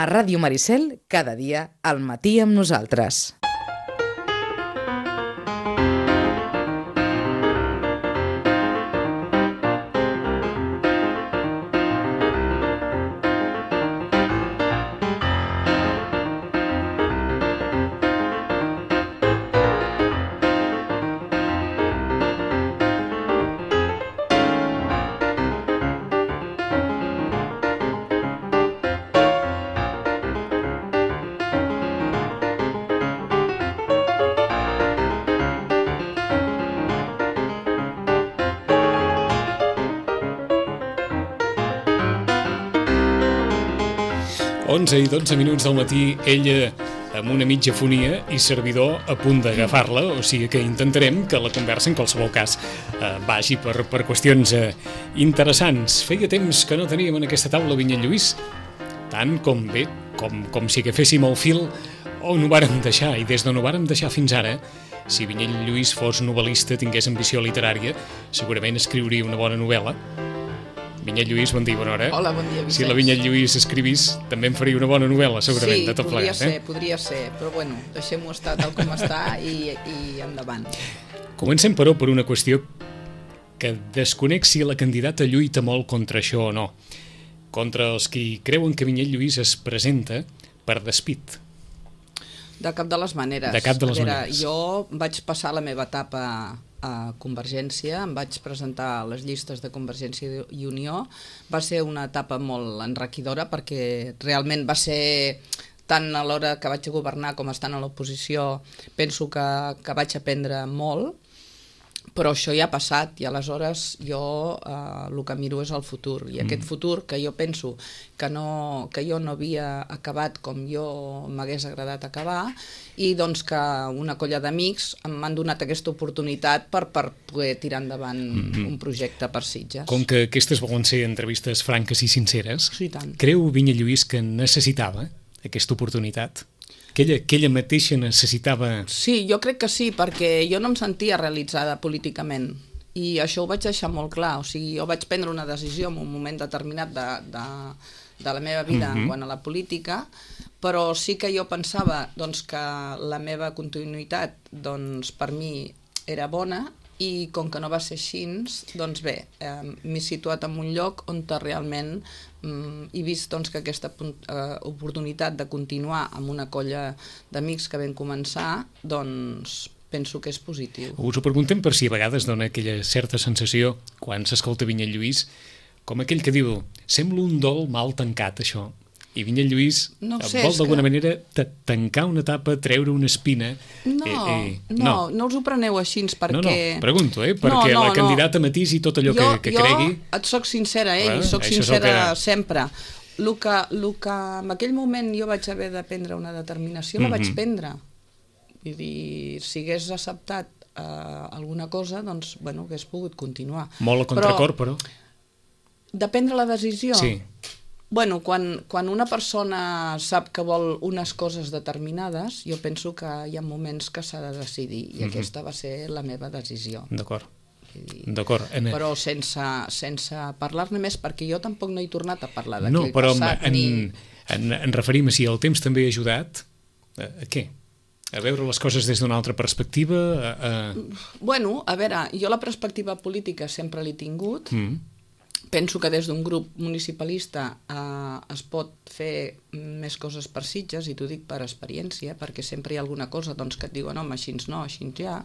A Ràdio Maricel, cada dia al matí amb nosaltres. I 12 minuts del matí, ella amb una mitja fonia i servidor a punt d'agafar-la, o sigui que intentarem que la conversa, en qualsevol cas, vagi per qüestions interessants. Feia temps que no teníem en aquesta taula Vinyet Lluís, tant com bé, com si agaféssim el fil on ho vàrem deixar, i des d'on ho vàrem deixar fins ara, si Vinyet Lluís fos novel·lista, tingués ambició literària, segurament escriuria una bona novel·la. Vinyet Lluís, bon dia, bona hora. Hola, bon dia, Vicenç. Si la Vinyet Lluís escrivís, també em faria una bona novel·la, segurament, de tot plegat. Sí, podria ser, però bueno, deixem-ho estar tal com està i endavant. Comencem, però, per una qüestió que desconec si la candidata lluita molt contra això o no. Contra els qui creuen que Vinyet Lluís es presenta per despit. De cap de les maneres. De cap de les maneres. Jo vaig passar la meva etapa a Convergència, em vaig presentar a les llistes de Convergència i Unió. Va ser una etapa molt enriquidora perquè realment va ser, tant a l'hora que vaig governar com estant a l'oposició, penso que vaig aprendre molt, però això ja ha passat i aleshores jo el que miro és el futur, i aquest futur que jo penso que jo no havia acabat com jo m'hagués agradat acabar, i doncs que una colla d'amics m'han donat aquesta oportunitat per poder tirar endavant un projecte per Sitges. Com que aquestes volen ser entrevistes franques i sinceres, sí, tant. Creu Vinyet Lluís que necessitava aquesta oportunitat? Que ella mateixa necessitava... Sí, jo crec que sí, perquè jo no em sentia realitzada políticament, i això ho vaig deixar molt clar. O sigui, jo vaig prendre una decisió en un moment determinat de la meva vida quant a la política, però sí que jo pensava doncs, que la meva continuïtat doncs, per mi era bona, i com que no va ser així, doncs bé, m'he situat en un lloc on realment he vist doncs, que aquesta oportunitat de continuar amb una colla d'amics que vam començar, doncs penso que és positiu. Us ho preguntem per si a vegades dona aquella certa sensació, quan s'escolta Vinyet Lluís, com aquell que diu, sembla un dol mal tancat, això. I Vinyet Lluís vol d'alguna manera tancar una etapa, treure una espina... No us ho preneu així, perquè... No, pregunto, perquè la candidata matisi tot allò que cregui... Jo et soc sincera, i soc sincera sempre. El que en aquell moment jo vaig haver de prendre una determinació, la vaig prendre. Vull dir, si hagués acceptat alguna cosa, doncs, bueno, hagués pogut continuar. Molt a contracor, però... De prendre la decisió? Sí. Bueno, quan una persona sap que vol unes coses determinades, jo penso que hi ha moments que s'ha de decidir, i aquesta va ser la meva decisió. D'acord. Però sense parlar-ne més, perquè jo tampoc no he tornat a parlar d'aquell passat. No, però en referim a si el temps també ha ajudat, a què? A veure les coses des d'una altra perspectiva? Bueno, a veure, jo la perspectiva política sempre l'he tingut. Penso que des d'un grup municipalista es pot fer més coses per Sitges, i t'ho dic per experiència, perquè sempre hi ha alguna cosa doncs, que et diuen, home, així no, així ja.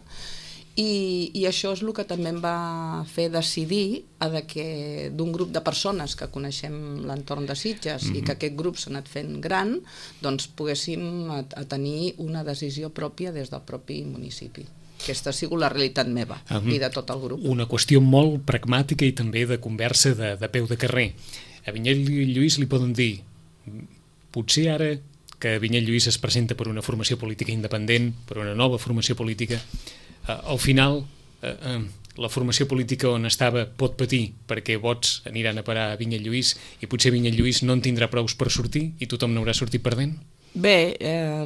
I això és el que també em va fer decidir que d'un grup de persones que coneixem l'entorn de Sitges i que aquest grup s'ha anat fent gran, doncs poguéssim tenir una decisió pròpia des del propi municipi. Aquesta ha sigut la realitat meva i de tot el grup. Una qüestió molt pragmàtica i també de conversa de peu de carrer. A Vinyet Lluís li poden dir, potser ara que Vinyet Lluís es presenta per una formació política independent, per una nova formació política, al final la formació política on estava pot patir perquè vots aniran a parar a Vinyet Lluís i potser Vinyet Lluís no en tindrà prous per sortir i tothom n'haurà sortit perdent? Bé,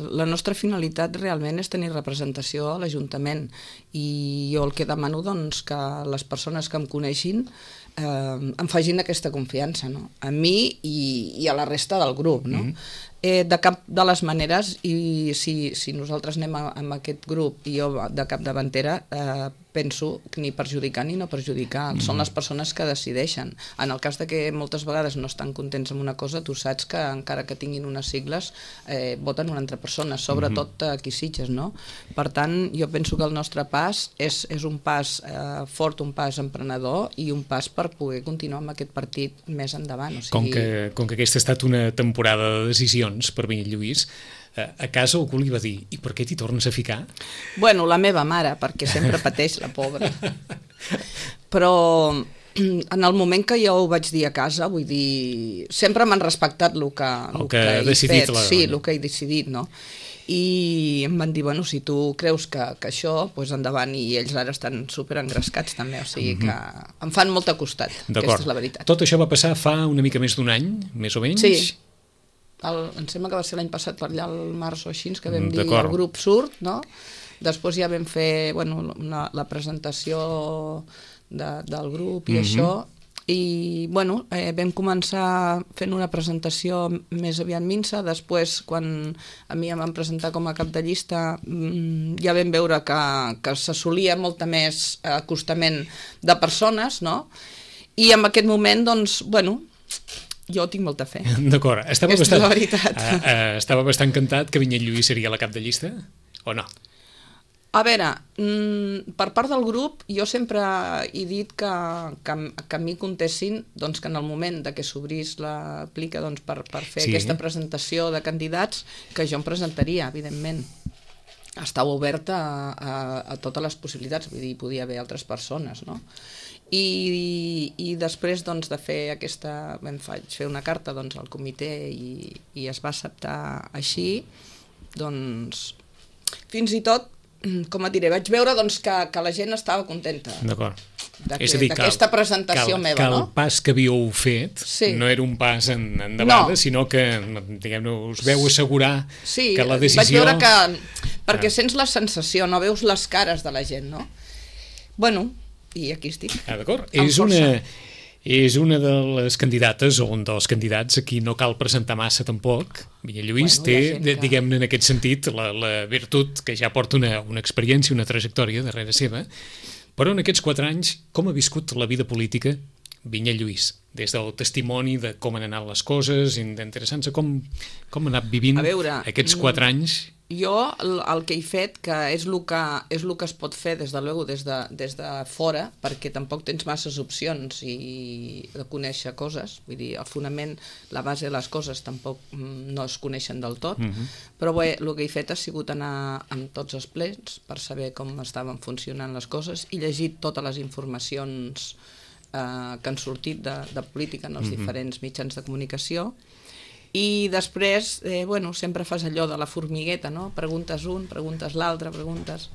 la nostra finalitat realment és tenir representació a l'Ajuntament, i jo el que demano doncs que les persones que em coneixin em facin aquesta confiança, no? A mi i a la resta del grup, no? De cap de les maneres, i si nosaltres anem amb aquest grup i jo de capdavantera, penso que ni perjudicar ni no perjudicar, són les persones que decideixen. En el cas de que moltes vegades no estan contents amb una cosa, tu saps que encara que tinguin unes sigles voten una altra persona, sobretot aquí Sitges, no? Per tant, jo penso que el nostre pas és un pas fort, un pas emprenedor i un pas per poder continuar amb aquest partit més endavant. O sigui... Com que aquesta ha estat una temporada de decisions per Vinyet Lluís, a casa algú li va dir: i per què t'hi tornes a ficar? Bueno, la meva mare, perquè sempre pateix, la pobra. Però en el moment que jo ho vaig dir a casa, vull dir, sempre m'han respectat el que he decidit, sí, el que he decidit, no? I em van dir, bueno, si tu creus que això, doncs endavant, i ells ara estan superengrescats també, o sigui que em fan molt a costat, aquesta és la veritat. Tot això va passar fa una mica més d'un any, més o menys? Sí. Em sembla que va ser l'any passat per allà al març o així, que vam dir el grup surt, no? Després ja vam fer la presentació del grup i això, i vam començar fent una presentació més aviat minsa. Després, quan a mi em van presentar com a cap de llista, ja vam veure que s'assolia molta més acostament de persones, no? I en aquest moment, doncs, jo tinc molta fe. D'acord. Aquesta és la veritat. Estava bastant encantat que Vinyet Lluís seria la cap de llista, o no? A veure, per part del grup, jo sempre he dit que a mi contessin que en el moment que s'obrís la plica per fer aquesta presentació de candidats, que jo em presentaria, evidentment. Estava oberta a totes les possibilitats, vull dir, podia haver altres persones, no? I després de fer vaig fer una carta al comitè i es va acceptar així, fins i tot, com et diré, vaig veure que la gent estava contenta d'aquesta presentació meva, no? Que el pas que havíeu fet no era un pas endavant, sinó que, diguem-ne, us veu assegurar que la decisió... Sí, vaig veure que... perquè sents la sensació, no veus les cares de la gent, no? I aquí estic. D'acord. És una de les candidates, o un dels candidats a qui no cal presentar massa tampoc. Vinyet Lluís té, diguem-ne, en aquest sentit, la virtut que ja porta una experiència, una trajectòria darrere seva, però en aquests 4 anys, com ha viscut la vida política Vinyet Lluís? Des del testimoni de com han anat les coses, interessant-se com ha anat vivint aquests 4 anys. Jo el que he fet, que és el que es pot fer des de fora, perquè tampoc tens masses opcions de conèixer coses, vull dir, el fonament, la base de les coses tampoc no es coneixen del tot, però bé, el que he fet ha sigut anar amb tots els plens per saber com estaven funcionant les coses i llegir totes les informacions que han sortit de política en els diferents mitjans de comunicació. I després, sempre fas allò de la formigueta, no? Preguntes un, preguntes l'altre, preguntes...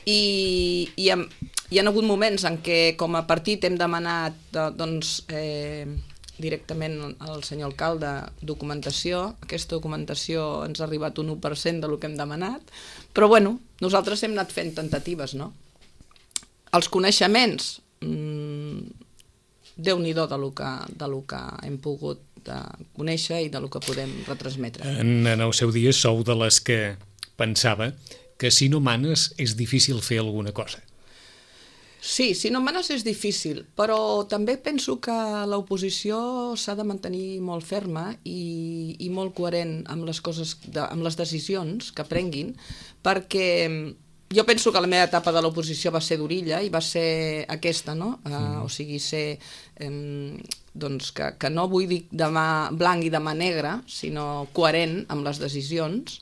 I hi ha hagut moments en què com a partit hem demanat directament al senyor alcalde documentació. Aquesta documentació ens ha arribat un 1% del que hem demanat, però nosaltres hem anat fent tentatives, no? Els coneixements, Déu-n'hi-do del que hem pogut conèixer i del que podem retransmetre. En el seu dia sou de les que pensava que si no manes és difícil fer alguna cosa. Sí, si no manes és difícil, però també penso que l'oposició s'ha de mantenir molt ferma i molt coherent amb les coses, amb les decisions que prenguin, perquè jo penso que la meva etapa de l'oposició va ser d'orilla i va ser aquesta, no? O sigui, ser... que no vull dir demà blanc i demà negre, sinó coherent amb les decisions,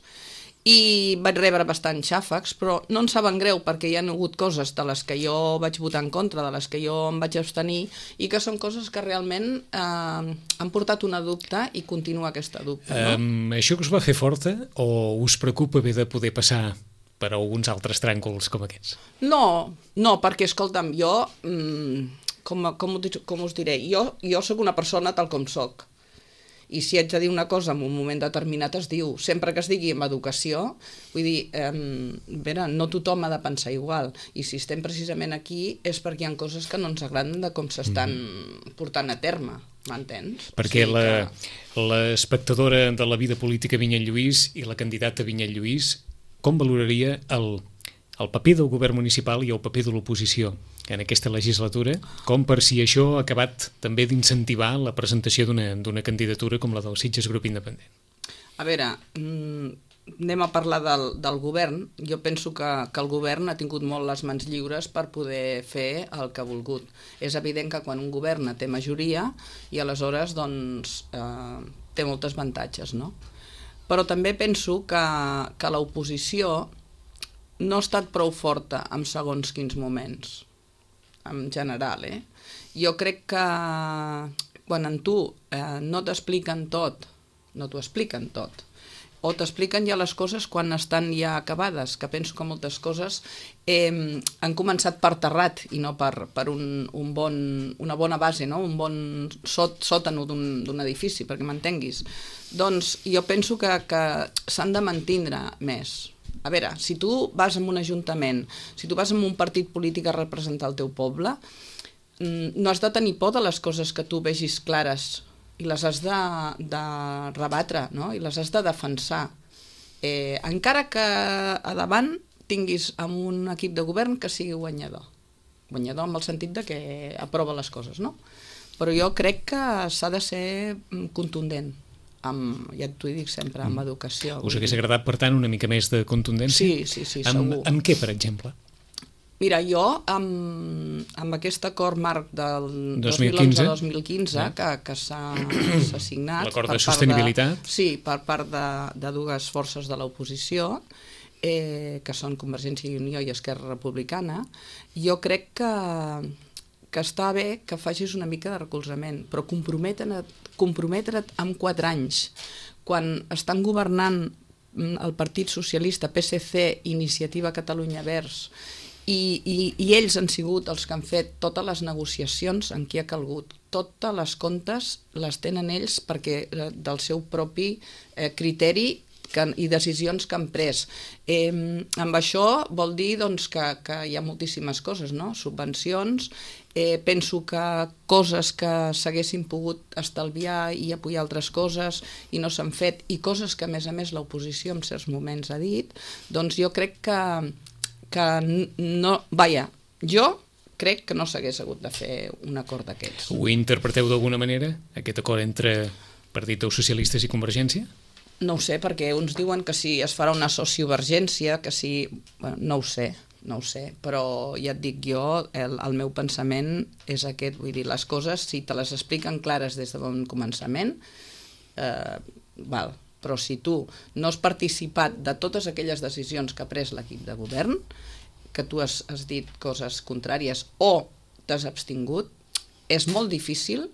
i vaig rebre bastants xàfecs, però no en saben greu perquè hi ha hagut coses de les que jo vaig votar en contra, de les que jo em vaig abstenir, i que són coses que realment han portat una dubte i continua aquesta dubte, no? Això que us va fer forta o us preocupa haver de poder passar per alguns altres tràngols com aquests? No, perquè, escolta'm, jo, com us diré, jo sóc una persona tal com soc, i si haig de dir una cosa en un moment determinat es diu, sempre que es digui en educació, vull dir, no tothom ha de pensar igual, i si estem precisament aquí és perquè hi ha coses que no ens agraden de com s'estan portant a terme. m'entens? Perquè l'espectadora de la vida política Vinyet Lluís i la candidata Vinyet Lluís, com valoraria el paper del govern municipal i el paper de l'oposició en aquesta legislatura, com per si això ha acabat també d'incentivar la presentació d'una candidatura com la del Sitges Grup Independent? A veure, anem a parlar del govern. Jo penso que el govern ha tingut molt les mans lliures per poder fer el que ha volgut. És evident que quan un govern té majoria i aleshores doncs, té molts avantatges, no? Però també penso que l'oposició no ha estat prou forta en segons quins moments, en general. Jo crec que quan en tu no t'expliquen tot, no t'ho expliquen tot, o t'expliquen ja les coses quan estan ja acabades, que penso que moltes coses han començat per terrat i no per una bona base, no? Un bon sòtano d'un edifici, perquè m'entenguis. Doncs jo penso que s'han de mantindre més. A veure, si tu vas a un ajuntament, si tu vas a un partit polític a representar el teu poble, no has de tenir por de les coses que tu vegis clares i les has de rebatre, no? I les has de defensar. Encara que a davant tinguis amb un equip de govern que sigui guanyador. Guanyador en el sentit de que aprova les coses, no? Però jo crec que s'ha de ser contundent. Ja t'ho dic sempre, amb educació. Us hagués agradat, per tant, una mica més de contundència? Sí, segur. Amb què, per exemple? Mira, jo, amb aquest acord marc del 2011-2015, que s'ha signat... L'acord de sostenibilitat? Sí, per part de dues forces de l'oposició, que són Convergència i Unió i Esquerra Republicana, jo crec que està bé que facis una mica de recolzament, però comprometre't amb 4 anys, quan estan governant el Partit Socialista, PSC, Iniciativa Catalunya Verds, i ells han sigut els que han fet totes les negociacions en qui ha calgut. Totes les comptes les tenen ells perquè del seu propi criteri i decisions que han pres. Amb això vol dir doncs, que hi ha moltíssimes coses, no? Subvencions, penso que coses que s'haguessin pogut estalviar i apoyar altres coses i no s'han fet, i coses que a més l'oposició en certs moments ha dit, doncs jo crec que no... Vaja, jo crec que no s'hagués hagut de fer un acord d'aquests. Ho interpreteu d'alguna manera, aquest acord entre Partit dels Socialistes i Convergència? No ho sé, perquè uns diuen que si es farà una sociovergència, que si... Bueno, no ho sé, però ja et dic jo, el meu pensament és aquest, vull dir, les coses, si te les expliquen clares des de bon començament, val, però si tu no has participat de totes aquelles decisions que ha pres l'equip de govern, que tu has dit coses contràries o t'has abstingut, és molt difícil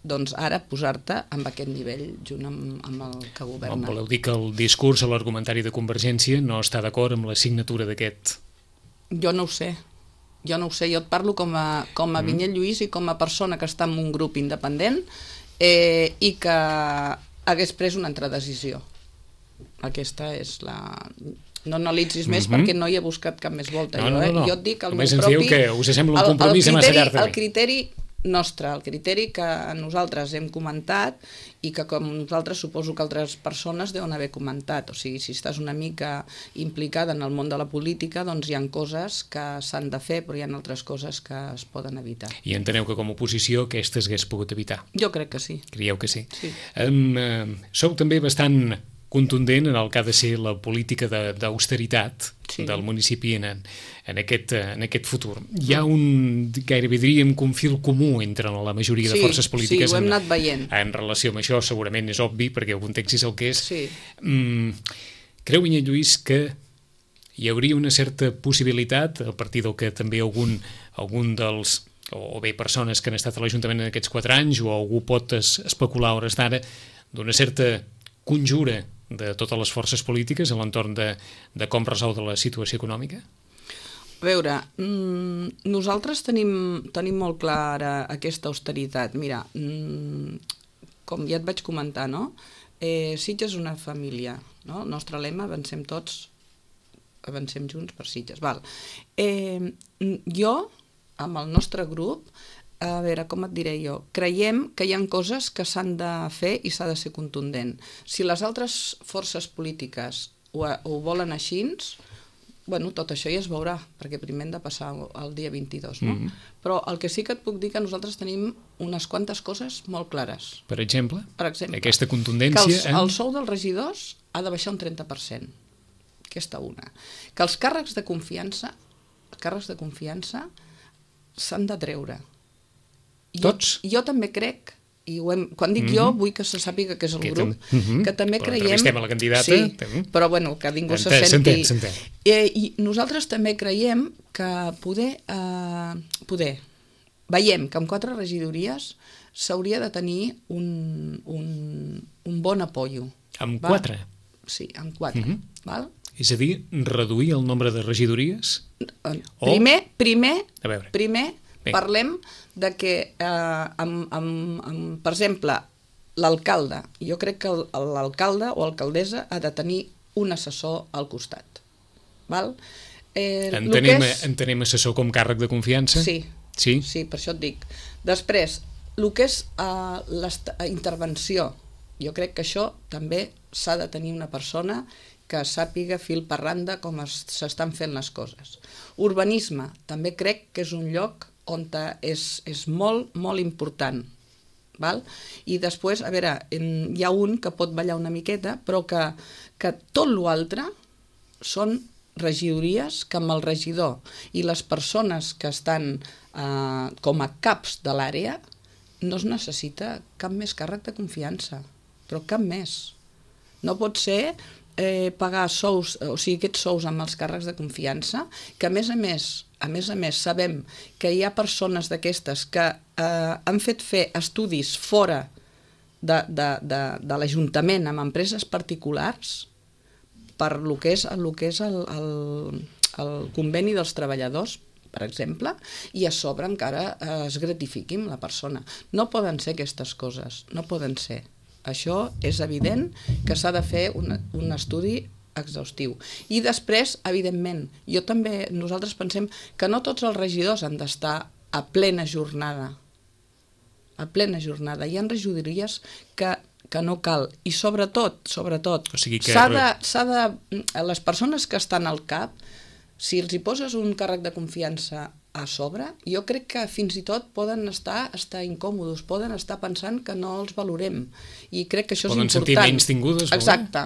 doncs ara posar-te amb aquest nivell junt amb el que governa. Voleu dir que el discurs o l'argumentari de Convergència no està d'acord amb la signatura d'aquest? Jo no ho sé, jo et parlo com a Vinyet Lluís i com a persona que està en un grup independent i que hagués pres una altra decisió. Aquesta és la... No analitzis més perquè no hi he buscat cap més volta. No. Jo et dic el només meu propi... Només ens diu que us sembla un compromís massa llarg. El criteri nostre, el criteri que nosaltres hem comentat i que com nosaltres suposo que altres persones deuen haver comentat. O sigui, si estàs una mica implicada en el món de la política, doncs hi ha coses que s'han de fer, però hi ha altres coses que es poden evitar. I enteneu que com a oposició aquestes hagués pogut evitar? Jo crec que sí. Creieu que sí? Sí. Sou també bastant contundent en el que ha de ser la política d'austeritat del municipi en aquest futur. Hi ha gairebé diríem un fil comú entre la majoria de forces polítiques. Sí, ho hem anat veient. En relació amb això segurament és obvi, perquè el context és el que és. Sí. Creu Vinyet Lluís que hi hauria una certa possibilitat, a partir del que també algun dels o bé persones que han estat a l'Ajuntament en aquests 4 anys o algú pot especular a hores d'ara, d'una certa conjura de totes les forces polítiques a l'entorn de com resol la situació econòmica? A veure, nosaltres tenim molt clara aquesta austeritat. Mira, com ja et vaig comentar, no? Sitges és una família, no? El nostre lema, avancem tots, avancem junts per Sitges. Val. Jo, amb el nostre grup, a veure, com et diré jo, creiem que hi ha coses que s'han de fer i s'ha de ser contundent. Si les altres forces polítiques ho volen així, bueno, tot això ja es veurà, perquè primer hem de passar el dia 22, no? Però el que sí que et puc dir que nosaltres tenim unes quantes coses molt clares. Per exemple, aquesta que contundència... el sou dels regidors ha de baixar un 30%. Aquesta una. Que els càrrecs de confiança s'han de treure. Tots? Jo també crec, i quan dic jo vull que se sàpiga que és el grup, que també creiem... Entrevistem a la candidata. Sí, però bueno, que ningú se senti... S'entén. I nosaltres també creiem que veiem que amb 4 regidories s'hauria de tenir un bon apoyo. Amb 4? Sí, amb 4. Val? És a dir, reduir el nombre de regidories? Primer Bé. parlem de que, per exemple, l'alcalde, jo crec que l'alcalde o alcaldessa ha de tenir un assessor al costat. Val? Entenem assessor com càrrec de confiança? Sí, per això et dic. Després, el que és la intervenció, jo crec que això també s'ha de tenir una persona que sàpiga fil per randa com s'estan fent les coses. Urbanisme, també crec que és un lloc on és molt, molt important. Val? I després, a veure, hi ha un que pot ballar una miqueta, però que tot l'altre són regidories que amb el regidor i les persones que estan com a caps de l'àrea no es necessita cap més càrrec de confiança, però cap més. No pot ser pagar sous, o sigui, aquests sous amb els càrrecs de confiança, que a més a més sabem que hi ha persones d'aquestes que han fet fer estudis fora de l'Ajuntament amb empreses particulars per lo que és el conveni dels treballadors, per exemple, i a sobre encara es gratifiqui amb la persona. No poden ser aquestes coses, no poden ser. Això és evident que s'ha de fer un estudi exhaustiu. I després, evidentment, nosaltres pensem que no tots els regidors han d'estar a plena jornada. A plena jornada. Hi ha regidories que no cal. I sobretot, O sigui que... les persones que estan al cap, si els hi poses un càrrec de confiança a sobre, jo crec que fins i tot poden estar incòmodes, poden estar pensant que no els valorem. I crec que això és important. Poden sentir menys tingudes. Exacte.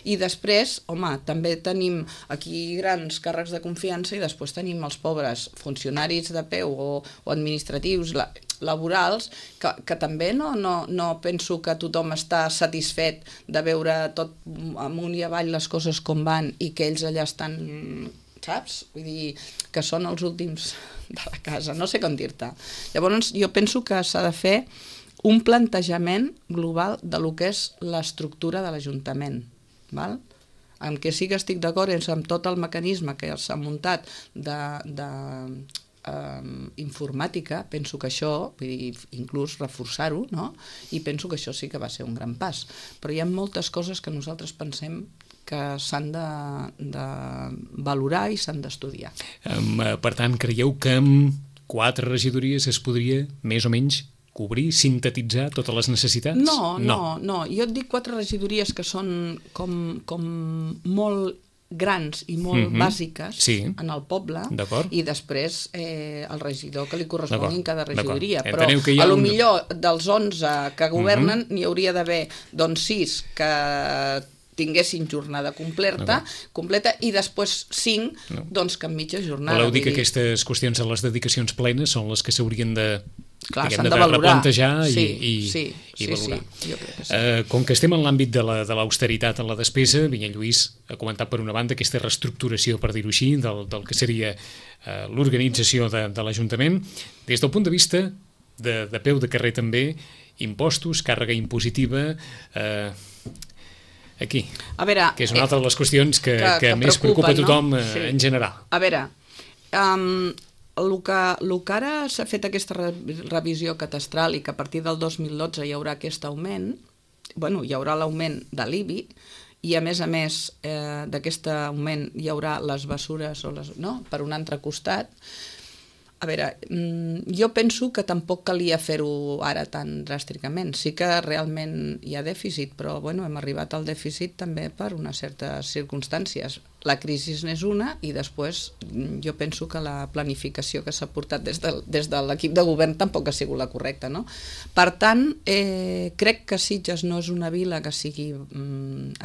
I després, home, també tenim aquí grans càrrecs de confiança i després tenim els pobres funcionaris de peu o administratius, laborals, que també no penso que tothom està satisfet de veure tot amunt i avall les coses com van i que ells allà estan, saps? Vull dir, que són els últims de la casa, no sé com dir-te. Llavors, jo penso que s'ha de fer un plantejament global de lo que és l'estructura de l'Ajuntament, val? Amb què sí que estic d'acord és amb tot el mecanisme que s'ha muntat informàtica, penso que això, vull dir, inclús reforçar-ho, no? I penso que això sí que va ser un gran pas. Però hi ha moltes coses que nosaltres pensem que s'han de valorar i s'han d'estudiar. Per tant, creieu que amb 4 regidories es podria més o menys cobrir, sintetitzar totes les necessitats? No. Jo et dic 4 regidories que són com molt grans i molt bàsiques en el poble i després el regidor que li correspongui en cada regidoria. Però millor dels 11 que governen n'hi hauria d'haver 6 que tinguessin jornada completa i després 5 que en mitja jornada. Voleu dir que aquestes qüestions de les dedicacions plenes són les que s'haurien de valorar, replantejar i valorar. Com que estem en l'àmbit de l'austeritat en la despesa, Vinyet Lluís ha comentat per una banda aquesta reestructuració, per dir-ho així, del que seria l'organització de l'Ajuntament. Des del punt de vista de peu de carrer també, impostos, càrrega impositiva... Aquí, que és una altra de les qüestions que més preocupa a tothom en general. A veure, el que ara s'ha fet aquesta revisió catastral i que a partir del 2012 hi haurà aquest augment, hi haurà l'augment de l'IBI i a més d'aquest augment hi haurà les bessures per un altre costat, A veure, jo penso que tampoc calia fer-ho ara tan dràsticament. Sí que realment hi ha dèficit, però bueno, hem arribat al dèficit també per unes certes circumstàncies. La crisi n'és una i després jo penso que la planificació que s'ha portat des de l'equip de govern tampoc ha sigut la correcta, no? Per tant, crec que Sitges no és una vila que sigui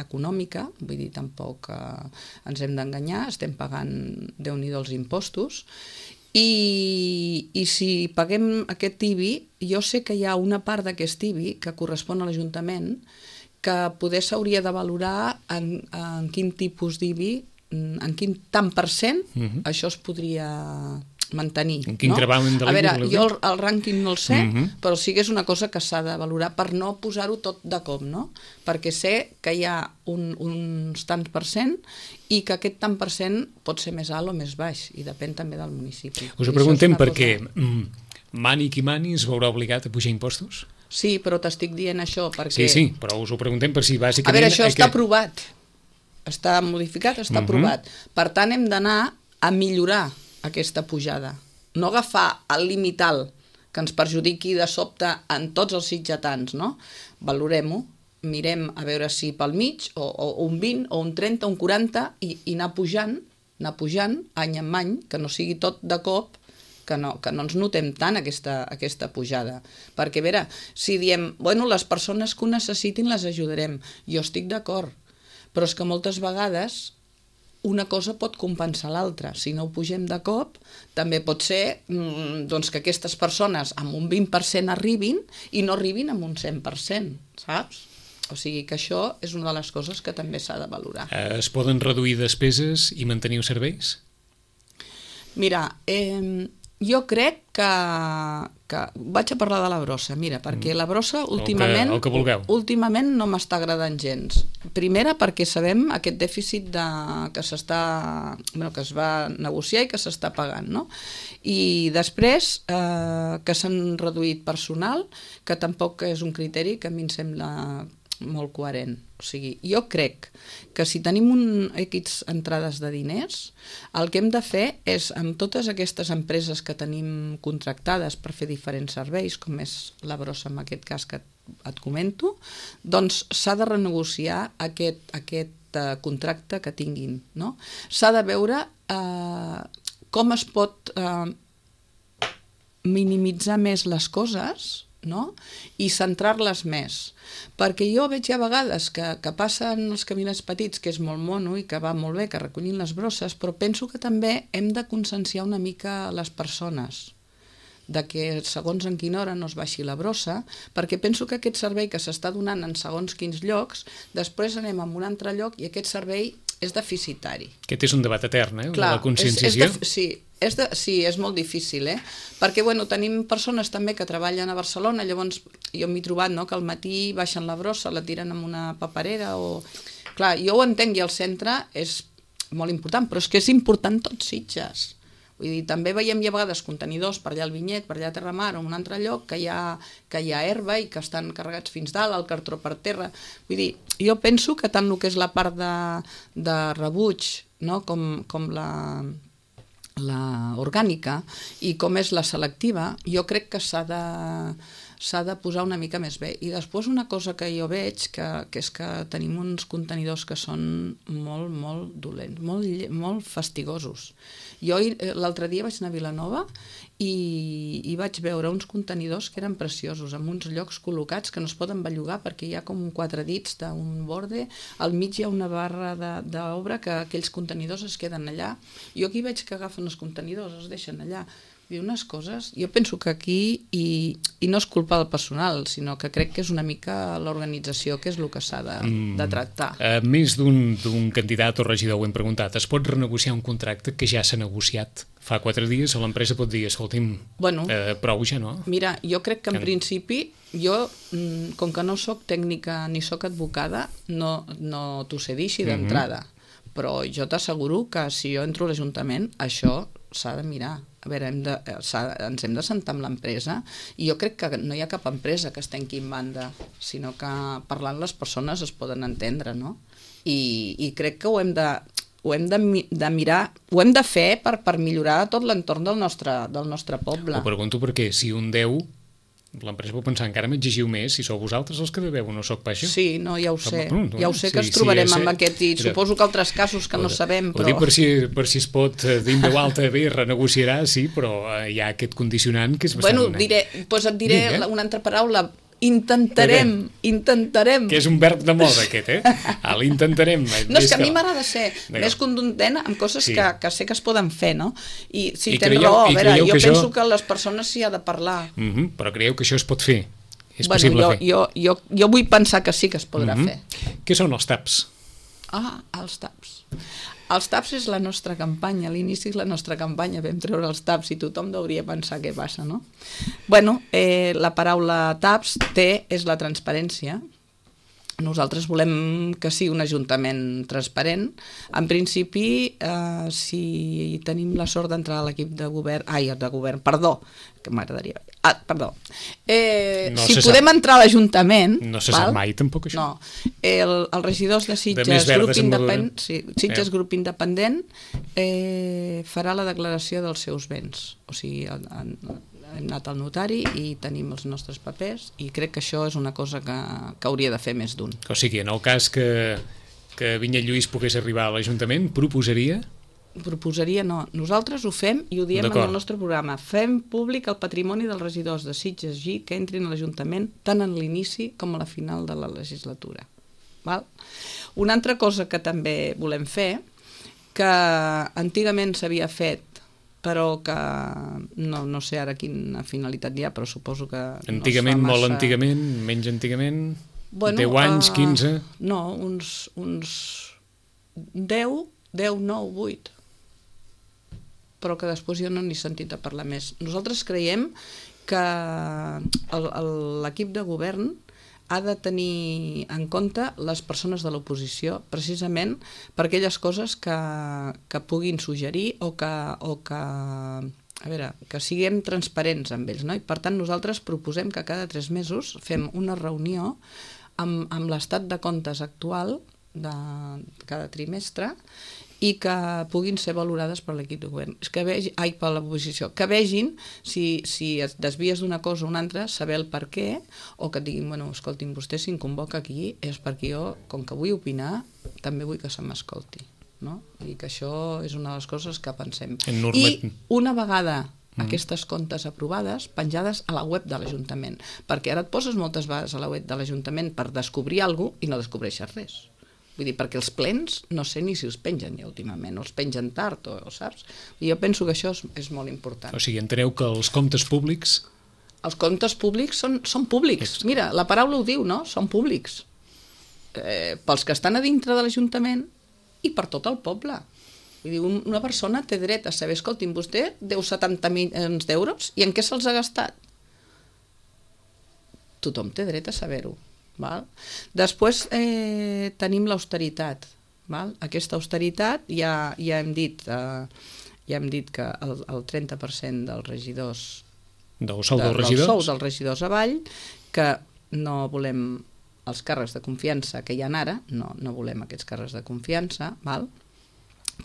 econòmica, vull dir, tampoc ens hem d'enganyar, estem pagant Déu-n'hi-do els impostos, i si paguem aquest IBI, jo sé que hi ha una part d'aquest IBI que correspon a l'Ajuntament que poder s'hauria de valorar en quin tipus d'IBI, en quin tant per cent això es podria mantenir. En quin gravamen de l'IBI? A veure, jo el rànquing no el sé, però sí que és una cosa que s'ha de valorar per no posar-ho tot de cop, no? Perquè sé que hi ha uns tants per cent i que aquest tant per cent pot ser més alt o més baix, i depèn també del municipi. Us ho preguntem perquè mani qui mani es veurà obligat a pujar impostos? Sí, però t'estic dient això perquè... Sí, però us ho preguntem per si bàsicament... A veure, això està aprovat, està modificat, està aprovat. Per tant, hem d'anar a millorar aquesta pujada. No agafar el límit alt que ens perjudiqui de sobte en tots els sitgetans, no? Valorem-ho, mirem a veure si pel mig, o un 20, o un 30, un 40, i anar pujant any en any, que no sigui tot de cop, que no ens notem tant aquesta pujada. Perquè, a veure, si diem, bueno, les persones que ho necessitin les ajudarem, jo estic d'acord, però és que moltes vegades una cosa pot compensar l'altra. Si no ho pugem de cop, també pot ser doncs, que aquestes persones amb un 20% arribin i no arribin amb un 100%, saps? O sigui que això és una de les coses que també s'ha de valorar. Es poden reduir despeses i mantenir els serveis? Mira, jo crec que vaig a parlar de la brossa, mira, perquè la brossa últimament no m'està agradant gens. Primera, perquè sabem aquest dèficit que es va negociar i que s'està pagant, no? I després que s'han reduït personal, que tampoc és un criteri que a mi em sembla molt coherent. O sigui, jo crec que si tenim X entrades de diners, el que hem de fer és, amb totes aquestes empreses que tenim contractades per fer diferents serveis, com és la brossa en aquest cas que et comento, doncs s'ha de renegociar aquest contracte que tinguin, no? S'ha de veure com es pot minimitzar més les coses, no? I centrar-les més, perquè jo veig a vegades que passen els caminets petits, que és molt mono i que va molt bé, que recollin les brosses, però penso que també hem de conscienciar una mica les persones de que segons en quina hora no es baixi la brossa, perquè penso que aquest servei que s'està donant en segons quins llocs, després anem a un altre lloc i aquest servei és deficitari. Aquest és un debat etern, la conscienciació. Sí, és molt difícil, perquè tenim persones també que treballen a Barcelona, llavors jo m'he trobat que al matí baixen la brossa, la tiren en una paperera, clar, jo ho entenc, i el centre és molt important, però és que és important tots Sitges. Vull dir, també veiem a vegades contenidors per allà al Vinyet, per allà a Terramar o en un altre lloc que hi ha herba i que estan carregats fins dalt, el cartró per terra. Vull dir, jo penso que tant el que és la part de rebuig, com la orgànica i com és la selectiva, jo crec que s'ha de posar una mica més bé. I després una cosa que jo veig, que és que tenim uns contenidors que són molt, molt dolents, molt fastigosos. Jo l'altre dia vaig anar a Vilanova i vaig veure uns contenidors que eren preciosos, amb uns llocs col·locats que no es poden bellugar perquè hi ha com 4 dits d'un borde, al mig hi ha una barra d'obra que aquells contenidors es queden allà. Jo aquí veig que agafen els contenidors, els deixen allà. I unes coses, jo penso que aquí, i no és culpa del personal, sinó que crec que és una mica l'organització que és el que s'ha de tractar. Més d'un candidat o regidor ho hem preguntat, es pot renegociar un contracte que ja s'ha negociat fa 4 dies o l'empresa pot dir, escolti'm, prou ja, no? Mira, jo crec que en principi, jo, com que no soc tècnica ni soc advocada, no t'ho sé dir així d'entrada, però jo t'asseguro que si jo entro a l'Ajuntament, això s'ha de mirar. A veure, ens hem de sentar amb l'empresa i jo crec que no hi ha cap empresa que es tanqui en banda, sinó que parlant les persones es poden entendre, no? I crec que ho hem de... ho hem de mirar, ho hem de fer per millorar tot l'entorn del nostre poble. Ho pregunto perquè si un deu, l'empresa pot pensar encara m'exigiu més si sou vosaltres els que deveu, no sóc pas jo. Sí, no, ja ho sé. Ja ho sé que ens trobarem amb aquest, i suposo que altres casos que no sabem, però... Ho dic per si es pot dir en veu alta, bé, renegociarà, sí, però hi ha aquest condicionant que és bastant... Bueno, et diré una altra paraula. Intentarem. Que és un verb de moda, aquest, l'intentarem. No, és que a mi m'agrada ser més contundent amb coses que sé que es poden fer, no? I si tens raó, a veure, jo penso que les persones s'hi ha de parlar. Però creieu que això es pot fer? És possible fer? Jo vull pensar que sí que es podrà fer. Què són els TAPs? Els TAPs. Els TAPs és la nostra campanya, a l'inici és la nostra campanya, vam treure els TAPs i tothom hauria pensar què passa, no? Bueno, la paraula TAPs és la transparència. Nosaltres volem que sigui un ajuntament transparent. En principi, si tenim la sort d'entrar a l'equip de govern, perdó, que m'agradaria... perdó. Si podem entrar a l'Ajuntament... No se sap mai, tampoc, això. No. Els regidors de Sitges, grup independent, farà la declaració dels seus béns. O sigui, hem anat al notari i tenim els nostres papers i crec que això és una cosa que hauria de fer més d'un. O sigui, en el cas que Vinyet Lluís pogués arribar a l'Ajuntament, proposaria? Proposaria no. Nosaltres ho fem i ho diem en el nostre programa. Fem públic el patrimoni dels regidors de Sitges G que entrin a l'Ajuntament tant en l'inici com a la final de la legislatura. Val? Una altra cosa que també volem fer, que antigament s'havia fet però que no sé ara quina finalitat hi ha, però suposo que antigament, no molt antigament, menys antigament, 10 anys, 15? No, uns 10, 9, 8. Però que després jo no n'he sentit a parlar més. Nosaltres creiem que l'equip de govern ha de tenir en compte les persones de l'oposició, precisament per aquelles coses que puguin suggerir o que siguem transparents amb ells, no? I per tant nosaltres proposem que cada 3 mesos fem una reunió amb l'estat de comptes actual de cada trimestre i que puguin ser valorades per l'equip de govern, per l'oposició, que vegin si et desvies d'una cosa o una altra, saber el per què, o que et diguin, bueno, escoltin, vostè si em convoca aquí és perquè jo, com que vull opinar, també vull que se m'escolti, no? I que això és una de les coses que pensem. I una vegada aquestes comptes aprovades, penjades a la web de l'Ajuntament, perquè ara et poses moltes vegades a la web de l'Ajuntament per descobrir alguna cosa i no descobreixes res. Vull dir, perquè els plens no sé ni si els pengen ja últimament, o els pengen tard, saps? I jo penso que això és molt important. O sigui, enteneu que els comptes públics... Els comptes públics són públics. Mira, la paraula ho diu, no? Són públics. Pels que estan a dintre de l'Ajuntament i per tot el poble. Vull dir, una persona té dret a saber, escolti'm, vostè deu 70 milions d'euros i en què se'ls ha gastat? Tothom té dret a saber-ho. Val? Després tenim l'austeritat. Aquesta austeritat ja hem dit que el 30% dels regidors del sou dels regidors avall, que no volem els càrrecs de confiança que hi ha ara, no volem aquests càrrecs de confiança, val?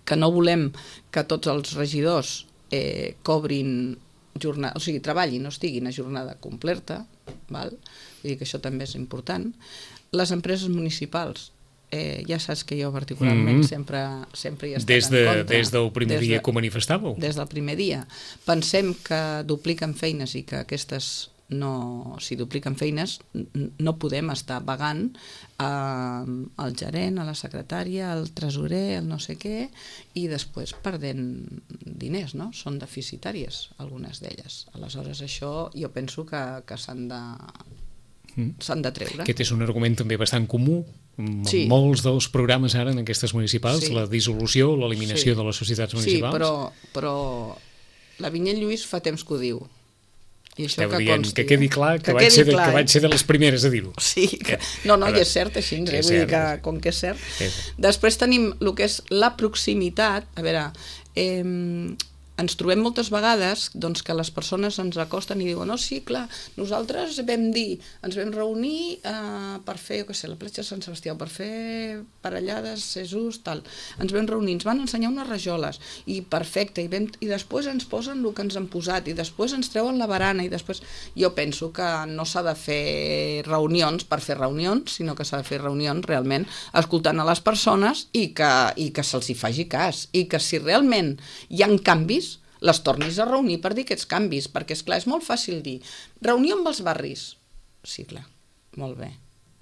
Que no volem que tots els regidors cobrin jornada, o sigui, treballin, no estiguin a jornada completa, val? Vull dir que això també és important. Les empreses municipals, ja saps que jo particularment sempre hi he estat en contra. Des del primer dia que ho manifestàveu? Des del primer dia. Pensem que dupliquen feines i que aquestes si dupliquen feines no podem estar pagant al gerent, a la secretària, al tresorer, al no sé què, i després perdent diners, no? Són deficitàries algunes d'elles. Aleshores això jo penso que s'han de treure. Aquest és un argument també bastant comú en molts dels programes ara en aquestes municipals, la dissolució, l'eliminació de les societats municipals. Sí, però la Vinyet Lluís fa temps que ho diu. I això que consti, que quedi clar que vaig ser de les primeres a dir-ho. Sí, no, i és cert així, vull dir que com que és cert. Després tenim el que és la proximitat. A veure, ens trobem moltes vegades doncs, que les persones ens acosten i diuen sí, clar, nosaltres ens vam reunir per fer, la platja de Sant Sebastià, per fer parellades, Jesús, tal. Ens vam reunir, ens van ensenyar unes rajoles, i perfecte, i després ens posen el que ens han posat, i després ens treuen la barana, i després... Jo penso que no s'ha de fer reunions per fer reunions, sinó que s'ha de fer reunions realment escoltant a les persones i que se'ls hi faci cas, i que si realment hi ha canvis, les tornis a reunir per dir aquests canvis, perquè, esclar, és molt fàcil dir reunió amb els barris. Sí, clar, molt bé.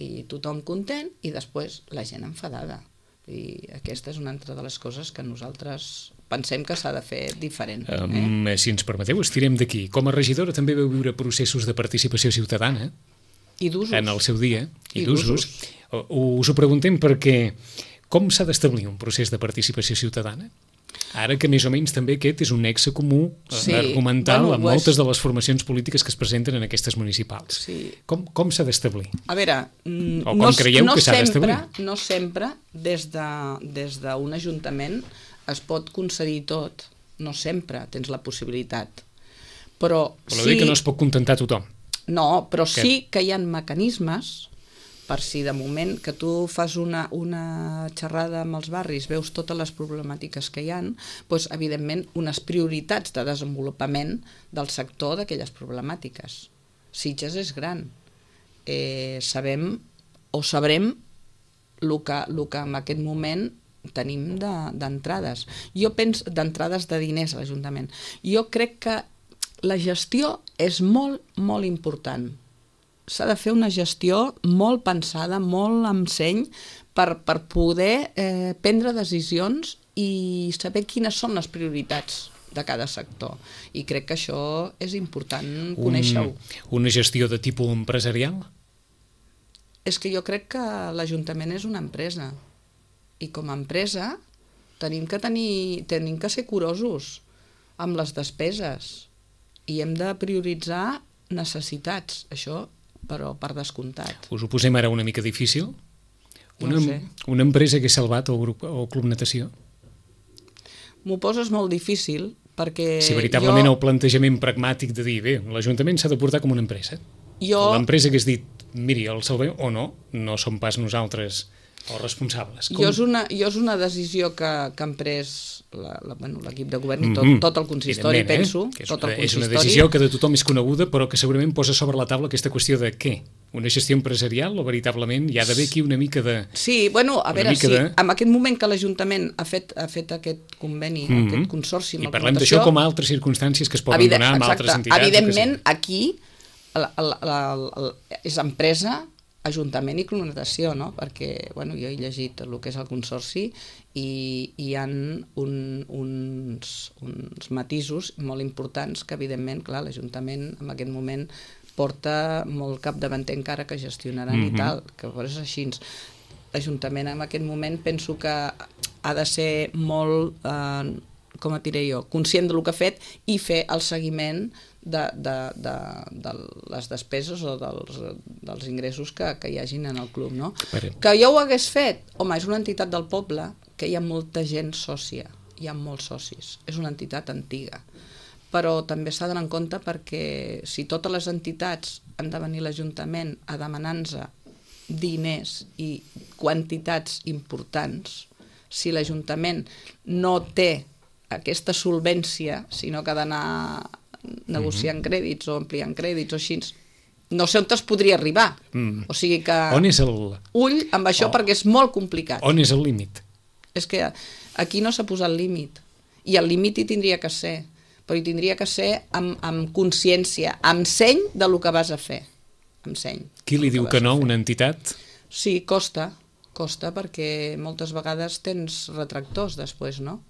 I tothom content i després la gent enfadada. I aquesta és una altra de les coses que nosaltres pensem que s'ha de fer diferent. Si ens permeteu, estirem d'aquí. Com a regidora també veu viure processos de participació ciutadana. I d'usos. En el seu dia. I d'usos. Us ho preguntem perquè com s'ha d'establir un procés de participació ciutadana? Ara que més o menys també aquest és un nexe comú argumental amb moltes de les formacions polítiques que es presenten en aquestes municipals. Sí. Com s'ha d'establir? A veure, no sempre des d'un ajuntament es pot concedir tot. No sempre tens la possibilitat. Però sí que no es pot contentar tothom. No, però sí que hi ha mecanismes per si de moment que tu fas una xerrada amb els barris, veus totes les problemàtiques que hi ha, doncs, evidentment, unes prioritats de desenvolupament del sector d'aquelles problemàtiques. Sitges és gran. Sabrem el que en aquest moment tenim d'entrades. Jo penso d'entrades de diners a l'Ajuntament. Jo crec que la gestió és molt, molt important. S'ha de fer una gestió molt pensada, molt amb seny, per poder prendre decisions i saber quines són les prioritats de cada sector. I crec que això és important conèixer-ho. Una gestió de tipus empresarial? És que jo crec que l'Ajuntament és una empresa. I com a empresa tenim que ser curosos amb les despeses i hem de prioritzar necessitats. Això però per descomptat. Us ho posem ara una mica difícil? No sé. Una empresa que ha salvat el Club Natació? M'ho poses molt difícil perquè... Si veritablement el plantejament pragmàtic de dir, bé, l'Ajuntament s'ha de portar com una empresa. L'empresa que has dit, miri, el salvem o no som pas nosaltres els responsables. Jo és una decisió que han pres l'equip de govern i tot el consistori, penso. És una decisió que de tothom és coneguda, però que segurament posa sobre la taula aquesta qüestió de què? Una gestió empresarial o veritablement hi ha d'haver aquí una mica de... Sí, bueno, a veure, en aquest moment que l'Ajuntament ha fet aquest conveni, aquest consorci amb i parlem d'això com a altres circumstàncies que es poden donar amb altres entitats. Evidentment, aquí és empresa, Ajuntament i Club Natació, no? Perquè jo he llegit el que és el consorci i hi ha uns matisos molt importants que, evidentment, clar, l'Ajuntament en aquest moment porta molt capdavanter encara que gestionaran i tal, que és així. L'Ajuntament en aquest moment penso que ha de ser molt, com et diré jo, conscient del que ha fet i fer el seguiment de les despeses o dels ingressos que hi hagin en el club, no? Que jo ho hagués fet? Home, és una entitat del poble que hi ha molta gent sòcia, hi ha molts socis, és una entitat antiga, però també s'ha d'anar en compte perquè si totes les entitats han de venir a l'Ajuntament a demanar-nos diners i quantitats importants, si l'Ajuntament no té aquesta solvència, sinó que ha d'anar negociant crèdits o ampliant crèdits o així, no sé on es podria arribar. O sigui que... On és el... Ull amb això perquè és molt complicat. On és el límit? És que aquí no s'ha posat límit. I el límit hi tindria que ser. Però hi tindria que ser amb consciència, amb seny del que vas a fer. Amb seny. Qui li diu que no a una entitat? Sí, costa perquè moltes vegades tens retractors després, no?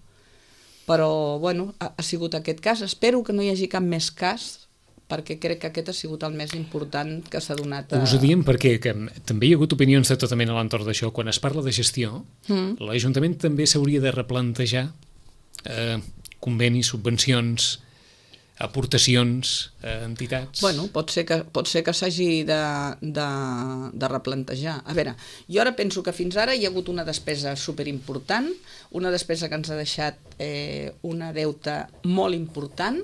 Però, ha sigut aquest cas. Espero que no hi hagi cap més cas, perquè crec que aquest ha sigut el més important que s'ha donat. Us ho diem perquè també hi ha hagut opinions de tota mena a l'entorn d'això. Quan es parla de gestió, l'Ajuntament també s'hauria de replantejar convenis, subvencions, aportacions a entitats? Bueno, pot ser que s'hagi de replantejar. A veure, jo ara penso que fins ara hi ha hagut una despesa superimportant, una despesa que ens ha deixat una deuta molt important,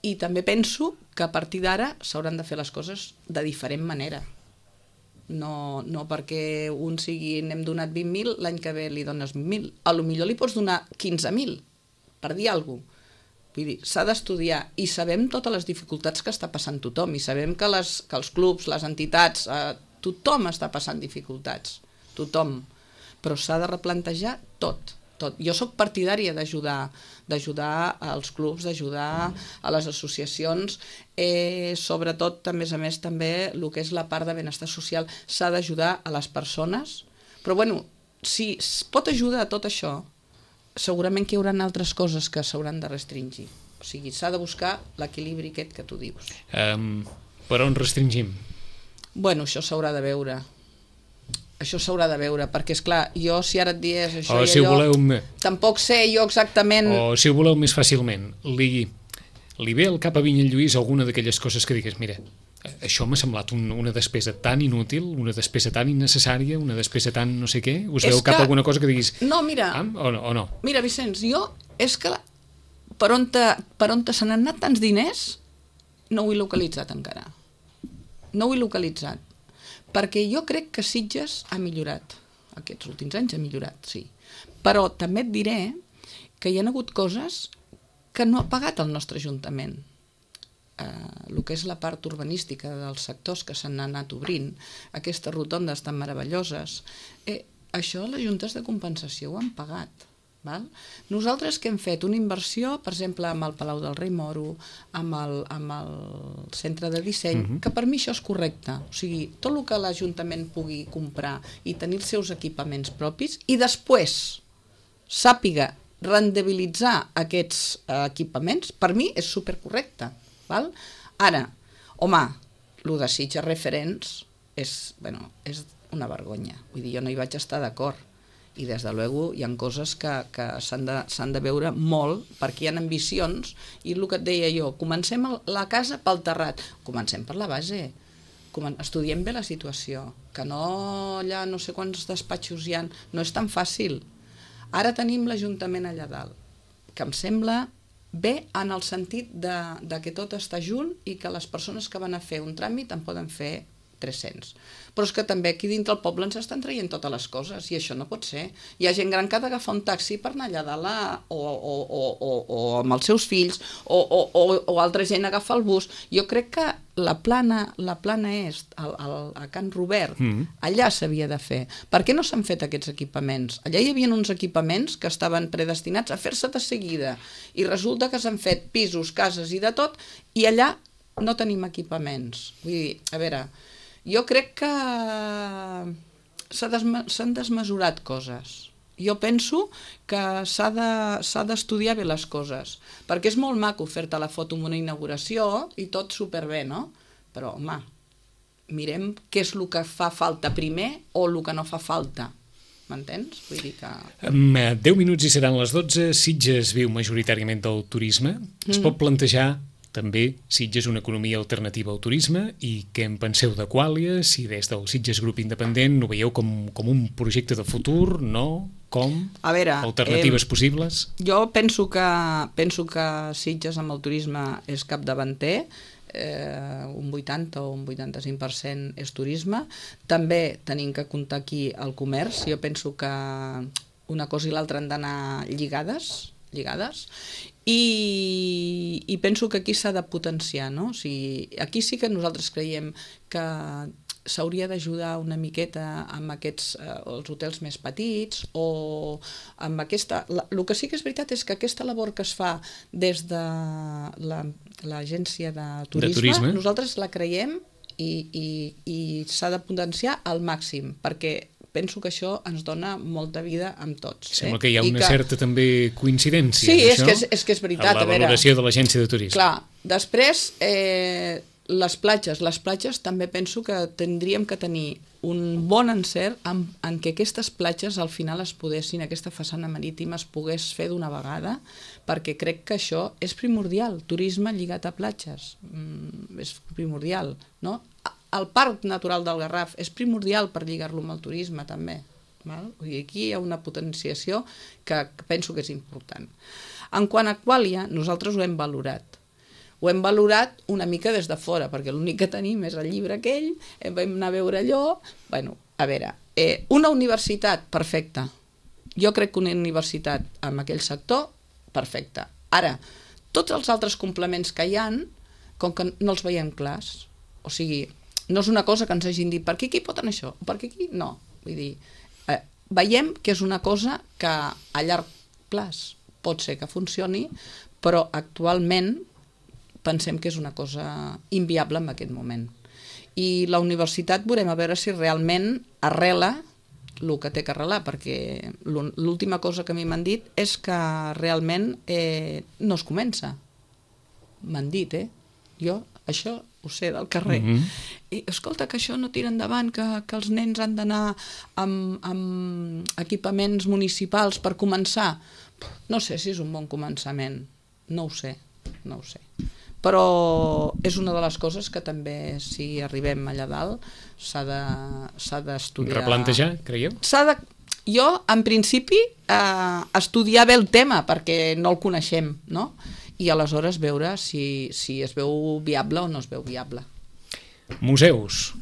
i també penso que a partir d'ara s'hauran de fer les coses de diferent manera. No perquè un sigui n'hem donat 20.000, l'any que ve li dones 20.000. A lo millor li pots donar 15.000, per dir alguna cosa. Vull dir, s'ha d'estudiar, i sabem totes les dificultats que està passant tothom, i sabem que els clubs, les entitats, tothom està passant dificultats, tothom, però s'ha de replantejar tot. Jo sóc partidària d'ajudar als clubs, d'ajudar a les associacions, sobretot, a més, també el que és la part de benestar social, s'ha d'ajudar a les persones, però bueno, si es pot ajudar a tot això, segurament que hi haurà altres coses que s'hauran de restringir. O sigui, s'ha de buscar l'equilibri aquest que tu dius. Per on restringim? Bueno, això s'haurà de veure. Perquè, esclar, jo si ara et dies això i allò, tampoc sé jo exactament... O si ho voleu més fàcilment, li ve al cap a Vinyet Lluís alguna d'aquelles coses que digues, mira, això m'ha semblat una despesa tan inútil, una despesa tan innecessària, una despesa tan no sé què, us veu cap alguna cosa que diguis... No, mira, o no? Mira, Vicenç, jo és que per on se n'han anat tants diners no ho he localitzat encara. No ho he localitzat. Perquè jo crec que Sitges ha millorat. Aquests últims anys ha millorat, sí. Però també et diré que hi ha hagut coses que no ha pagat el nostre Ajuntament. El que és la part urbanística dels sectors que s'han anat obrint, aquestes rotondes tan meravelloses, això les juntes de compensació ho han pagat. Val? Nosaltres que hem fet una inversió, per exemple, amb el Palau del Rei Moro, amb el centre de disseny, que per mi això és correcte. O sigui, tot el que l'Ajuntament pugui comprar i tenir els seus equipaments propis, i després sàpiga rendibilitzar aquests equipaments, per mi és supercorrecte. Val? Ara, home, el de Sitges Referents és una vergonya. Vull dir, jo no hi vaig estar d'acord. I des de luego hi ha coses que s'han de veure molt, perquè hi ha ambicions, i el que et deia jo, comencem la casa pel terrat, comencem per la base, estudiem bé la situació, que no allà no sé quants despatxos hi ha, no és tan fàcil. Ara tenim l'Ajuntament allà dalt, que em sembla bé en el sentit de que tot està junt i que les persones que van a fer un tràmit en poden fer 300. Però és que també aquí dintre el poble ens estan traient totes les coses, i això no pot ser. Hi ha gent gran que ha d'agafar un taxi per anar allà dalt o amb els seus fills, o altra gent agafa el bus. Jo crec que la plana est, a Can Robert, allà s'havia de fer. Per què no s'han fet aquests equipaments? Allà hi havia uns equipaments que estaven predestinats a fer-se de seguida, i resulta que s'han fet pisos, cases i de tot, i allà no tenim equipaments. Vull dir, a veure, jo crec que s'han desmesurat coses. Jo penso que s'ha d'estudiar bé les coses, perquè és molt maco fer-te la foto en una inauguració i tot superbé, no? Però, home, mirem què és el que fa falta primer o el que no fa falta. M'entens? Vull dir que... 10 minuts i seran les 12. Sitges viu majoritàriament del turisme. Es pot plantejar també Sitges una economia alternativa al turisme, i què en penseu de Quàlia? Si des del Sitges Grup Independent ho veieu com un projecte de futur, no? Com? A veure, alternatives possibles? Jo penso que Sitges amb el turisme és capdavanter, un 80 o un 85% és turisme. També tenim que comptar aquí el comerç. Jo penso que una cosa i l'altra han d'anar lligades, i penso que aquí s'ha de potenciar, no? O sigui, aquí sí que nosaltres creiem que s'hauria d'ajudar una miqueta amb aquests els hotels més petits, o amb aquesta... El que sí que és veritat és que aquesta labor que es fa des de l'agència de turisme, nosaltres la creiem i s'ha de potenciar al màxim, perquè penso que això ens dona molta vida amb tots. Sembla que hi ha una certa també coincidència. Sí, és que és veritat. En la valoració de l'agència de turisme. Clar, després les platges també penso que tindríem que tenir un bon encert en què aquestes platges al final es poguessin, aquesta façana marítima es pogués fer d'una vegada, perquè crec que això és primordial, turisme lligat a platges, és primordial, no? El Parc Natural del Garraf és primordial per lligar-lo amb el turisme també, val? Vull dir, aquí hi ha una potenciació que penso que és important. En quant a Aquàlia, nosaltres ho hem valorat. Ho hem valorat una mica des de fora, perquè l'únic que tenim és el llibre aquell, vam anar a veure allò... Bueno, a veure, una universitat, perfecta. Jo crec que una universitat en aquell sector, perfecta. Ara, tots els altres complements que hi ha, com que no els veiem clars, o sigui, no és una cosa que ens hagin dit per aquí pot anar això, per aquí no. Vull dir, veiem que és una cosa que a llarg plaç pot ser que funcioni, però actualment pensem que és una cosa inviable en aquest moment. I la universitat veurem a veure si realment arrela el que té que arrelar, perquè l'última cosa que a mi m'han dit és que realment no es comença. M'han dit, Jo això ho sé del carrer. I escolta, que això no tira endavant, que els nens han d'anar amb equipaments municipals per començar. No sé si és un bon començament. No ho sé. Però és una de les coses que també, si arribem allà dalt, s'ha d'estudiar. Replantejar, creieu? Jo, en principi, estudiar bé el tema, perquè no el coneixem, no? I aleshores veure si es veu viable o no es veu viable. Museus.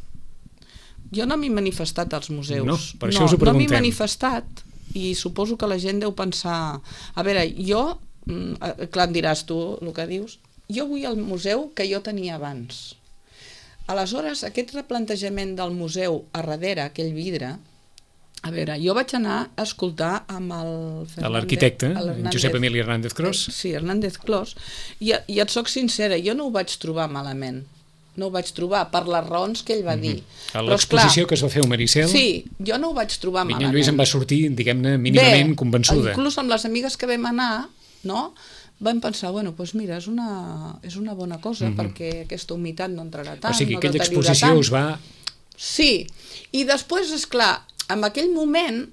Jo no m'he manifestat als museus. No, per això us ho preguntem. No m'he manifestat i suposo que la gent deu pensar... A veure, jo, clar, em diràs tu el que dius, jo vull al museu que jo tenia abans. Aleshores, aquest replantejament del museu a darrere, aquell vidre, a veure, jo vaig anar a escoltar amb l'arquitecte, Josep Emili Hernández Clos. Sí, Hernández Clos, i et soc sincera, jo no ho vaig trobar malament. No ho vaig trobar per les raons que ell va dir. A l'exposició que es va fer a Maricel... Sí, jo no ho vaig trobar malament. Minyó Lluís em va sortir, diguem-ne, mínimament convençuda. Inclús amb les amigues que vam anar, no?, vam pensar, bueno, doncs mira, és una bona cosa, perquè aquesta humitat no entrarà tant, o sigui, no aquella deteriorarà exposició tant. us va... Sí, i després, esclar, en aquell moment,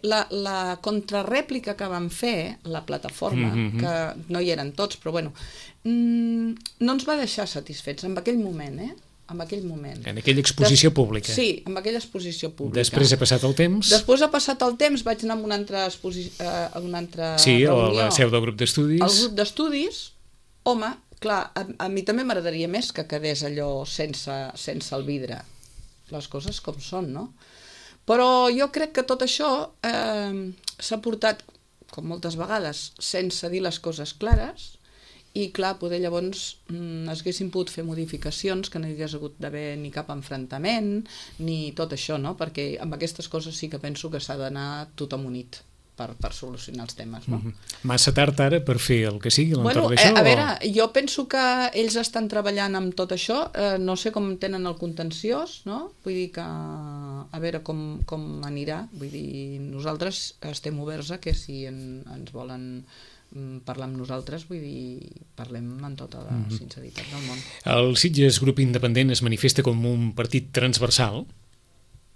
la contrarèplica que vam fer, la plataforma, que no hi eren tots, però bueno, no ens va deixar satisfets en aquell moment, en aquell moment. En aquella exposició pública. Sí, en aquella exposició pública. Després ha passat el temps. Després ha passat el temps, vaig anar a una altra sí, reunió. a la seu del grup d'estudis. El grup d'estudis, home, clar, a mi també m'agradaria més que quedés allò sense el vidre. Les coses com són, no? Però jo crec que tot això s'ha portat, com moltes vegades, sense dir les coses clares, i clar, poder llavors haguessin pogut fer modificacions, que no hi hagués hagut d'haver ni cap enfrontament, ni tot això, no? Perquè amb aquestes coses sí que penso que s'ha d'anar tothom unit per solucionar els temes, no? Massa tard ara per fer el que sigui l'entorn d'això? Bueno, a veure, jo penso que ells estan treballant amb tot això, no sé com tenen el contenciós, no? Vull dir que a veure com anirà, vull dir, nosaltres estem oberts a que si ens volen parlar amb nosaltres, vull dir, parlem amb tota la sinceritat del món. El Sitges Grup Independent es manifesta com un partit transversal,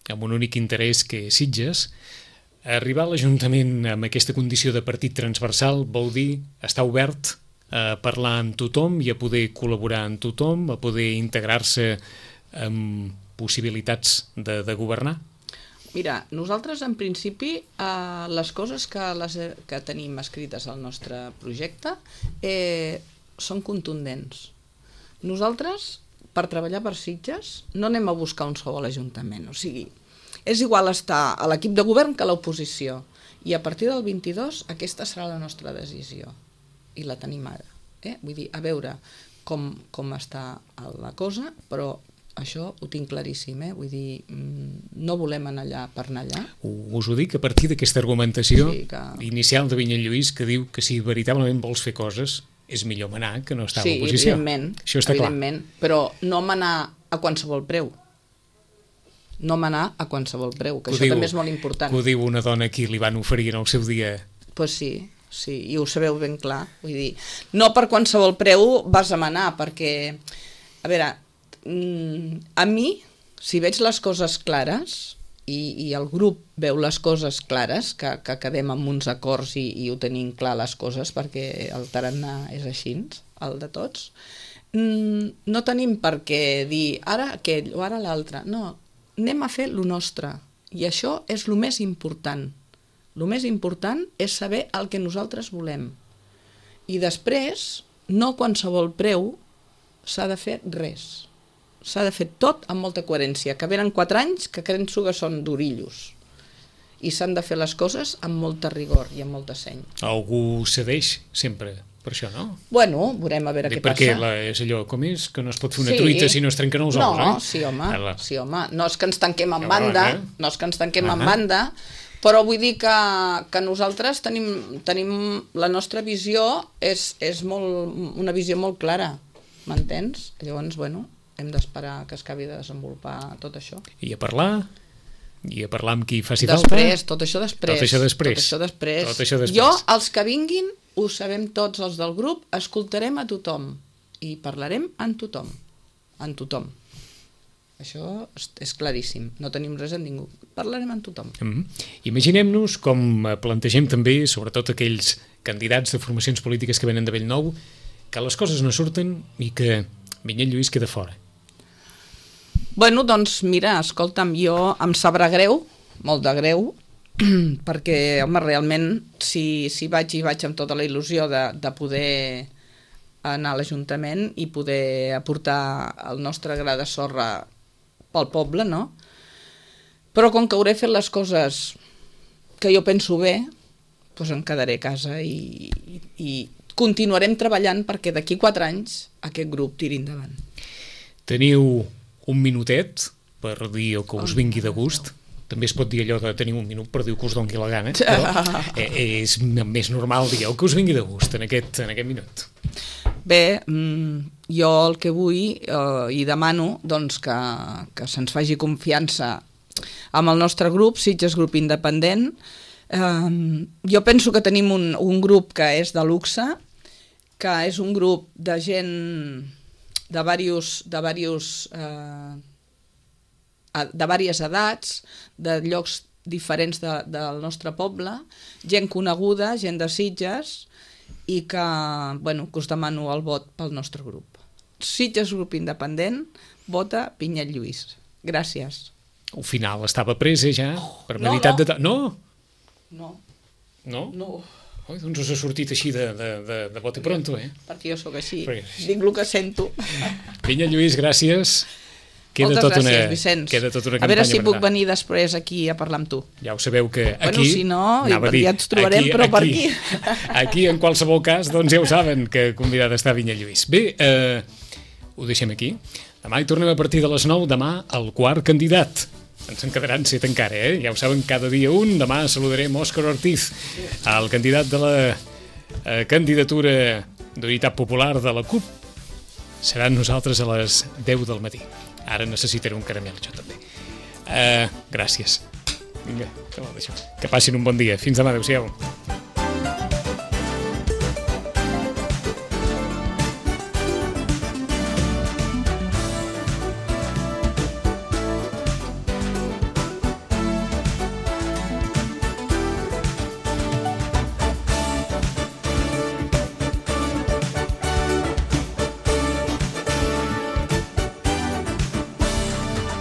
amb un únic interès que és Sitges. Arribar a l'Ajuntament amb aquesta condició de partit transversal vol dir estar obert a parlar amb tothom i a poder col·laborar amb tothom, a poder integrar-se amb possibilitats de governar? Mira, nosaltres en principi les coses que tenim escrites al nostre projecte són contundents. Nosaltres, per treballar per Sitges, no anem a buscar un sou a l'Ajuntament, o sigui, és igual estar a l'equip de govern que a l'oposició, i a partir del 22 aquesta serà la nostra decisió, i la tenim ara. Vull dir, a veure com està la cosa, però això ho tinc claríssim, vull dir, no volem anar allà per anar allà. Us ho dic a partir d'aquesta argumentació inicial de Minyó Lluís, que diu que si veritablement vols fer coses és millor manar que no estar a l'oposició. Sí, evidentment, però no manar a qualsevol preu. No manar a qualsevol preu, que això també és molt important. Que ho diu una dona a qui li van oferir en el seu dia. Doncs sí, i ho sabeu ben clar. Vull dir, no per qualsevol preu vas a manar, perquè, a veure, a mi, si veig les coses clares i el grup veu les coses clares, que quedem amb uns acords i ho tenim clar les coses, perquè el tarannà és així, el de tots, no tenim per què dir ara aquell o ara l'altre. No, anem a fer lo nostre. I això és el més important. El més important és saber el que nosaltres volem. I després, no a qualsevol preu, s'ha de fer res. S'ha de fer tot amb molta coherència, que venen 4 anys que penso que són d'orillos. I s'han de fer les coses amb molta rigor i amb molta seny. Algú cedeix sempre per això, no? Bueno, veurem a veure què passa. Perquè és allò, com és? Que no es pot fer una truita si no es trenquen els ous, No, sí, home. No és que ens tanquem en banda, però vull dir que nosaltres tenim la nostra visió, és una visió molt clara, m'entens? Llavors, bueno, hem d'esperar que es acabi de desenvolupar tot això. I a parlar amb qui faci falta? Tot això després. Jo, els que vinguin, ho sabem tots els del grup, escoltarem a tothom i parlarem amb tothom. Amb tothom. Això és claríssim. No tenim res amb ningú. Parlarem amb tothom. Imaginem-nos, com plantegem també, sobretot aquells candidats de formacions polítiques que venen de Bellnou, que les coses no surten i que Vinyet Lluís queda fora. Bueno, doncs mira, escolta'm, jo em sabrà greu, molt de greu, perquè, home, realment, si vaig amb tota la il·lusió de poder anar a l'Ajuntament i poder aportar el nostre gra de sorra pel poble, no? Però com que hauré fet les coses que jo penso bé, doncs em quedaré a casa i continuarem treballant perquè d'aquí 4 anys aquest grup tiri endavant. Teniu un minutet per dir el que us vingui de gust. També es pot dir allò de tenir un minut per dir que us doni la gana, però és més normal dir el que us vingui de gust en aquest minut. Bé, jo el que vull i demano doncs, que se'ns faci confiança amb el nostre grup, Sitges Grup Independent. Jo penso que tenim un grup que és de luxe, que és un grup de gent de diverses edats, de llocs diferents del nostre poble, gent coneguda, gent de Sitges, i que us demano el vot pel nostre grup. Sitges Grup Independent, vota Vinyet Lluís. Gràcies. Al final estava presa ja, per meditat de... No? No. No? No. Oi, doncs us ha sortit així de bote pronto, Perquè jo sóc així, dic el que sento. Vinyet Lluís, gràcies. Moltes gràcies, Vicenç. Queda tota una campanya. A veure si puc venir després aquí a parlar amb tu. Ja ho sabeu que aquí... Bueno, si no, ja ens trobarem, però per aquí. Aquí, en qualsevol cas, doncs ja ho saben, que convidat està Vinyet Lluís. Bé, ho deixem aquí. Demà hi tornem a partir de les 9, demà el quart candidat. Ens en quedaran 7 encara, Ja ho saben, cada dia un. Demà saludarem Òscar Ortiz, el candidat de la candidatura d'Unitat Popular de la CUP. Seran nosaltres a les 10 del matí. Ara necessitaré un caramel, jo també. Gràcies. Vinga, que passin un bon dia. Fins demà, adéu-siau.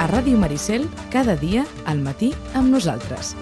A Ràdio Maricel, cada dia al matí amb nosaltres.